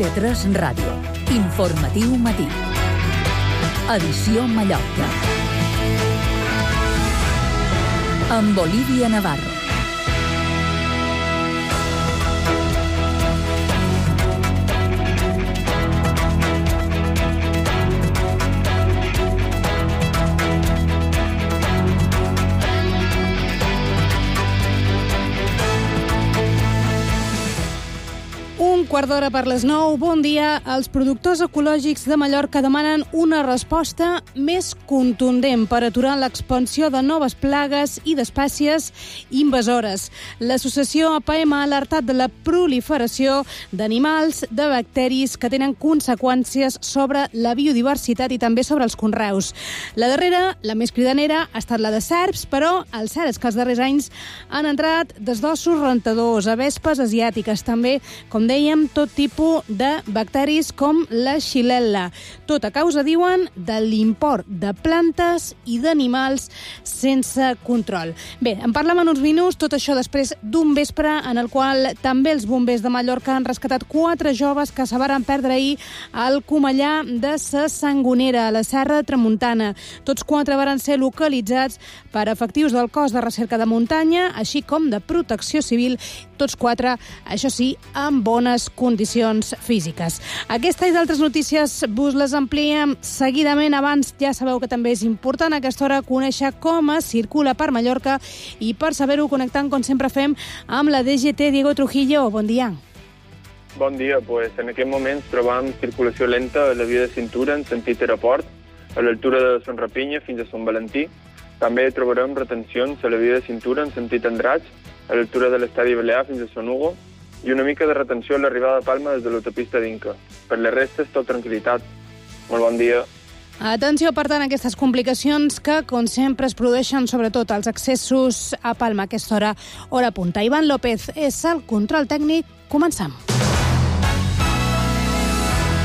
IB3 Ràdio. Informatiu matí. Edició Mallorca. Amb Olivia Navarro. Quart d'hora per les 9. Bon dia. Els productors ecològics de Mallorca demanen una resposta més contundent per aturar l'expansió de noves plagues i d'espècies invasores. L'associació APM ha alertat de la proliferació d'animals, de bacteris que tenen conseqüències sobre la biodiversitat i també sobre els conreus. La darrera, la més cridanera, ha estat la de serps, però el cert és que els darrers anys han entrat desdossos rentadors, avespes asiàtiques, també, com dèiem, tot tipus de bacteris com la xilel·la. Tot a causa, diuen, de l'import de plantes i d'animals sense control. Bé, en parlem en uns minuts, tot això després d'un vespre en el qual també els bombers de Mallorca han rescatat 4 joves que se varen perdre ahir al Comellà de sa Sangonera, a la Serra de Tramuntana. Tots 4 varen ser localitzats per efectius del cos de recerca de muntanya, així com de protecció civil, tots 4, això sí, amb bones condicions físiques. Aquesta i d'altres notícies vos les ampliem seguidament. Abans ja sabeu que també és important a aquesta hora conèixer com es circula per Mallorca i per saber-ho connectant, com sempre fem, amb la DGT. Diego Trujillo, bon dia. Bon dia. En aquest moment trobam circulació lenta a la via de cintura en sentit aeroport, a l'altura de Son Rapinya fins a Son Valentí. També trobarem retencions a la via de cintura en sentit Andratx, a l'altura de l'estadi Balear fins a Son Hugo, i una mica de retenció a l'arribada a Palma des de l'autopista d'Inca. Per les restes, tot tranquil·litat. Molt bon dia. Atenció, per tant, a aquestes complicacions que, com sempre, es produeixen sobretot als accessos a Palma a aquesta hora, hora punta. Ivan López és el control tècnic. Comencem.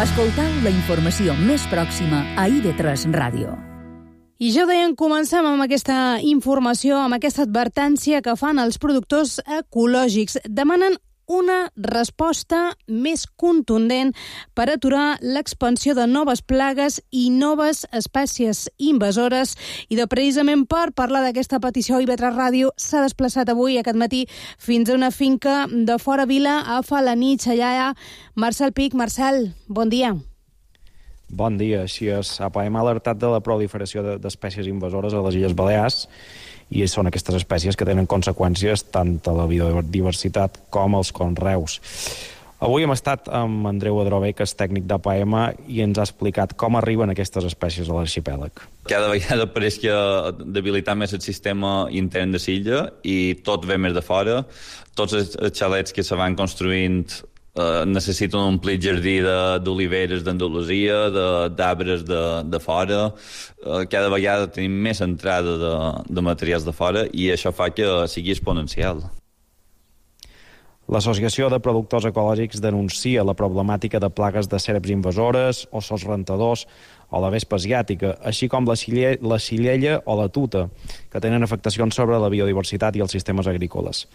Escoltau la informació més pròxima a IB3 Ràdio. I ja ho deien, comencem amb aquesta informació, amb aquesta advertència que fan els productors ecològics. Demanen una resposta més contundent per aturar l'expansió de noves plagues i noves espècies invasores. I precisament per parlar d'aquesta petició, IB3 Ràdio s'ha desplaçat avui, aquest matí, fins a una finca de fora Vila, a Falanitx. Allà hi ha Marcel Pic. Marcel, bon dia. Bon dia. Així és, APM ha alertat de la proliferació d'espècies invasores a les Illes Balears, i són aquestes espècies que tenen conseqüències tant a la biodiversitat com als conreus. Avui hem estat amb Andreu Adrover, que és tècnic d'APM, i ens ha explicat com arriben aquestes espècies a l'arxipèlag. Cada vegada pareix que debilitar més el sistema intern de l'illa i tot ve més de fora. Tots els xalets que se van construint necessiten un omplir jardí d'oliveres d'Andalusia, d'arbres de fora. Cada vegada tenim més entrada de materials de fora i això fa que sigui exponencial. L'Associació de Productors Ecològics denuncia la problemàtica de plagues de serps invasores, ossos rentadors o la vespa asiàtica, així com la xilella o la tuta, que tenen afectacions sobre la biodiversitat i els sistemes agrícoles.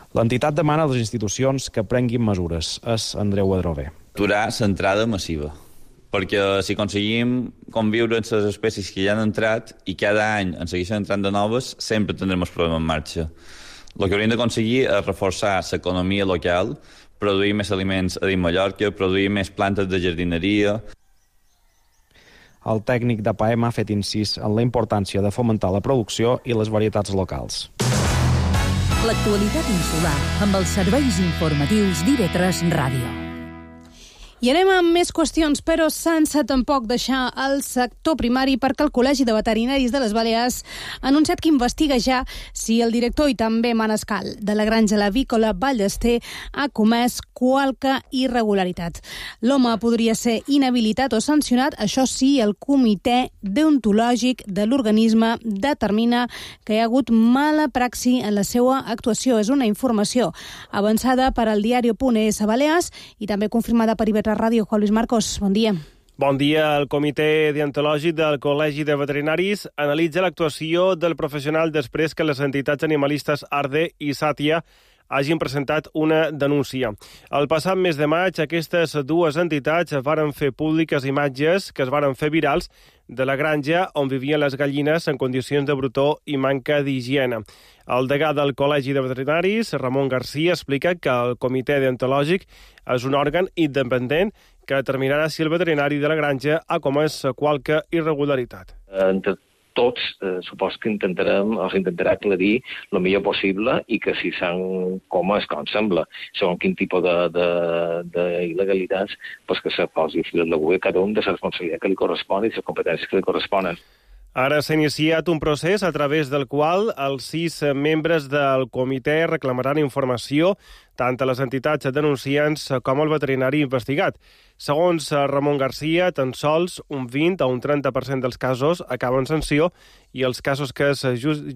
L'entitat demana a les institucions que prenguin mesures. És Andreu Adrover. Aturar l'entrada massiva, perquè si aconseguim conviure amb les espècies que ja han entrat i cada any en segueixen entrant de noves, sempre tindrem el problema en marxa. El que hauríem d'aconseguir és reforçar l'economia local, produir més aliments a dins Mallorca, produir més plantes de jardineria. El tècnic d'APM ha fet incís en la importància de fomentar la producció i les varietats locals. L'actualitat insular amb els serveis informatius d'IB3 Ràdio. I anem amb més qüestions, però sense tampoc deixar el sector primari, perquè el Col·legi de Veterinaris de les Balears ha anunciat que investiga ja si el director i també manescal de la granja avícola Ballester ha comès qualque irregularitat. L'home podria ser inhabilitat o sancionat, això sí, el comitè deontològic de l'organisme determina que hi ha hagut mala praxi en la seva actuació. És una informació avançada per al diario.es a Balears i també confirmada per IB3 Ràdio. Juan Luis Marcos, bon dia. Bon dia. El comitè deontològic del Col·legi de Veterinaris analitza l'actuació del professional després que les entitats animalistes Arde i Sàtia hagin presentat una denúncia. El passat mes de maig, aquestes dues entitats varen fer públiques imatges que es varen fer virals de la granja on vivien les gallines en condicions de brutó i manca d'higiene. El degà del Col·legi de Veterinaris, Ramon Garcia, explica que el comitè deontològic és un òrgan independent que determinarà si el veterinari de la granja ha comès qualque irregularitat. Entre tots, supos que intentarà aclarir el millor possible i que si s'han comès, com sembla, segons quin tipus d'il·legalitats, que se posi fil a l'agulla cada un de la responsabilitat que li correspon i les competències que li corresponen. Ara s'ha iniciat un procés a través del qual els 6 membres del comitè reclamaran informació tant a les entitats denunciants com al veterinari investigat. Segons Ramon Garcia, tan sols un 20 o un 30% dels casos acaben sanció i els casos que es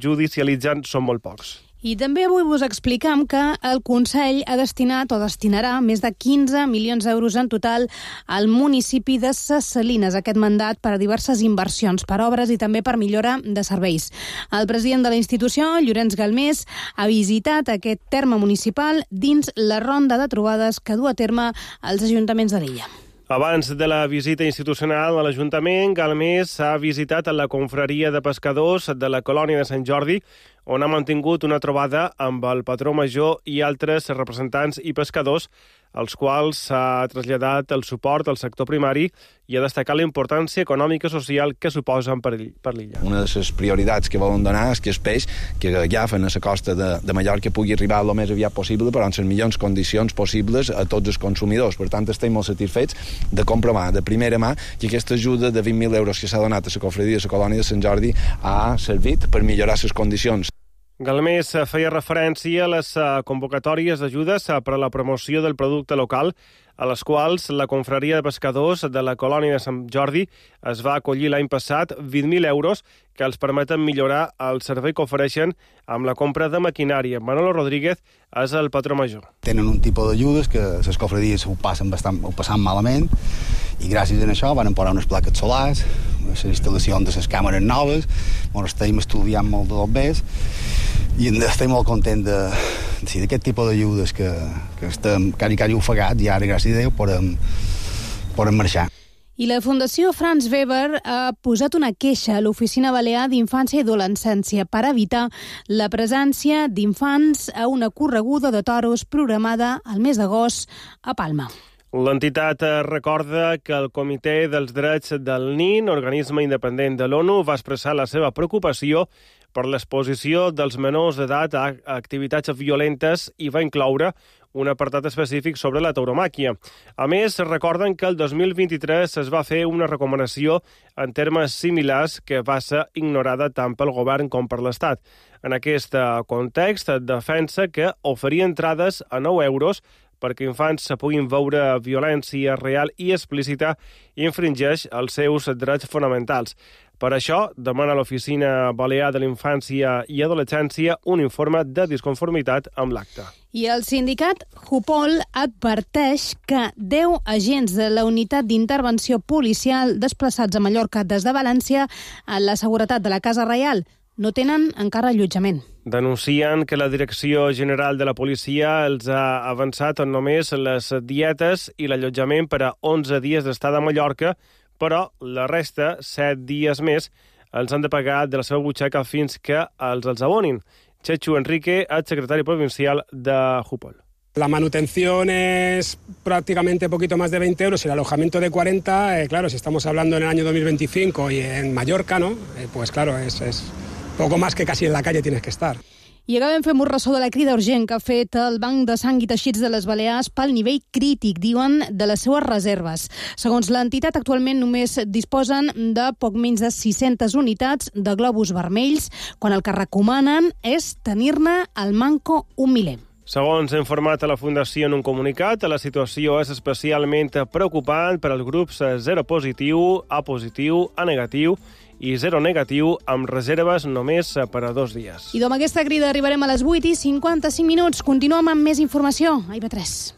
judicialitzen són molt pocs. I també avui vos expliquem que el Consell ha destinat o destinarà més de 15 milions d'euros en total al municipi de Ses Salines, aquest mandat per a diverses inversions, per obres i també per millora de serveis. El president de la institució, Llorenç Galmés, ha visitat aquest terme municipal dins la ronda de trobades que du a terme els ajuntaments de l'illa. Abans de la visita institucional a l'Ajuntament, Galmés ha visitat la confraria de pescadors de la colònia de Sant Jordi, on ha mantingut una trobada amb el patró major i altres representants i pescadors, als quals s'ha traslladat el suport al sector primari i ha destacat la importància econòmica i social que suposen per l'illa. Una de les prioritats que volen donar és que el peix que agafen a la costa de Mallorca pugui arribar el més aviat possible, però en les millors condicions possibles a tots els consumidors. Per tant, estem molt satisfets de comprovar de primera mà que aquesta ajuda de 20.000 euros que s'ha donat a la confraria de la colònia de Sant Jordi ha servit per millorar les condicions. Galmés feia referència a les convocatòries d'ajudes per a la promoció del producte local, a les quals la confraria de pescadors de la colònia de Sant Jordi es va acollir l'any passat 20.000 euros que els permeten millorar el servei que ofereixen amb la compra de maquinària. Manolo Rodríguez és el patró major. Tenen un tipus d'ajudes que les confraries ho passen malament i gràcies a això van posar unes plaques solars, les instal·lacions de les càmeres noves, on estem estudiant molt de bé i estem molt contents d'aquest tipus d'ajudes que estem quasi ofegats i ara, gràcies a Déu, podem marxar. I la Fundació Franz Weber ha posat una queixa a l'Oficina Balear d'Infància i Adolescència per evitar la presència d'infants a una correguda de toros programada al mes d'agost a Palma. L'entitat recorda que el Comitè dels Drets del Nin, organisme independent de l'ONU, va expressar la seva preocupació per l'exposició dels menors d'edat a activitats violentes i va incloure un apartat específic sobre la tauromàquia. A més, recorden que el 2023 es va fer una recomanació en termes similars que va ser ignorada tant pel govern com per l'Estat. En aquest context, defensa que oferir entrades a 9 euros perquè infants puguin veure violència real i explícita infringeix els seus drets fonamentals. Per això, demana a l'Oficina Balear de l'Infància i Adolescència un informe de disconformitat amb l'acte. I el sindicat Jupol adverteix que 10 agents de la unitat d'intervenció policial desplaçats a Mallorca des de València a la seguretat de la Casa Reial no tenen encara allotjament. Denuncien que la Direcció General de la Policia els ha avançat només les dietes i l'allotjament per a 11 dies d'estada a Mallorca, però la resta, 7 dies més, els han de pagar de la seva butxaca fins que els abonin. Chechu Enrique, el secretario provincial de Jupol. La manutención es prácticamente poquito más de 20 euros y el alojamiento de 40, claro, si estamos hablando en el año 2025 y en Mallorca, ¿no? Pues claro, es poco más que casi en la calle tienes que estar. I acabem fent un ressò de la crida urgent que ha fet el Banc de Sang i Teixits de les Balears pel nivell crític, diuen, de les seues reserves. Segons l'entitat, actualment només disposen de poc menys de 600 unitats de globus vermells, quan el que recomanen és tenir-ne al manco un miler. Segons ha informat a la Fundació en un comunicat, la situació és especialment preocupant per als grups 0 positiu, A positiu, A negatiu i 0 negatiu, amb reserves només per a 2 dies. I amb aquesta crida arribarem a les 8:55. Continuem amb més informació a IB3.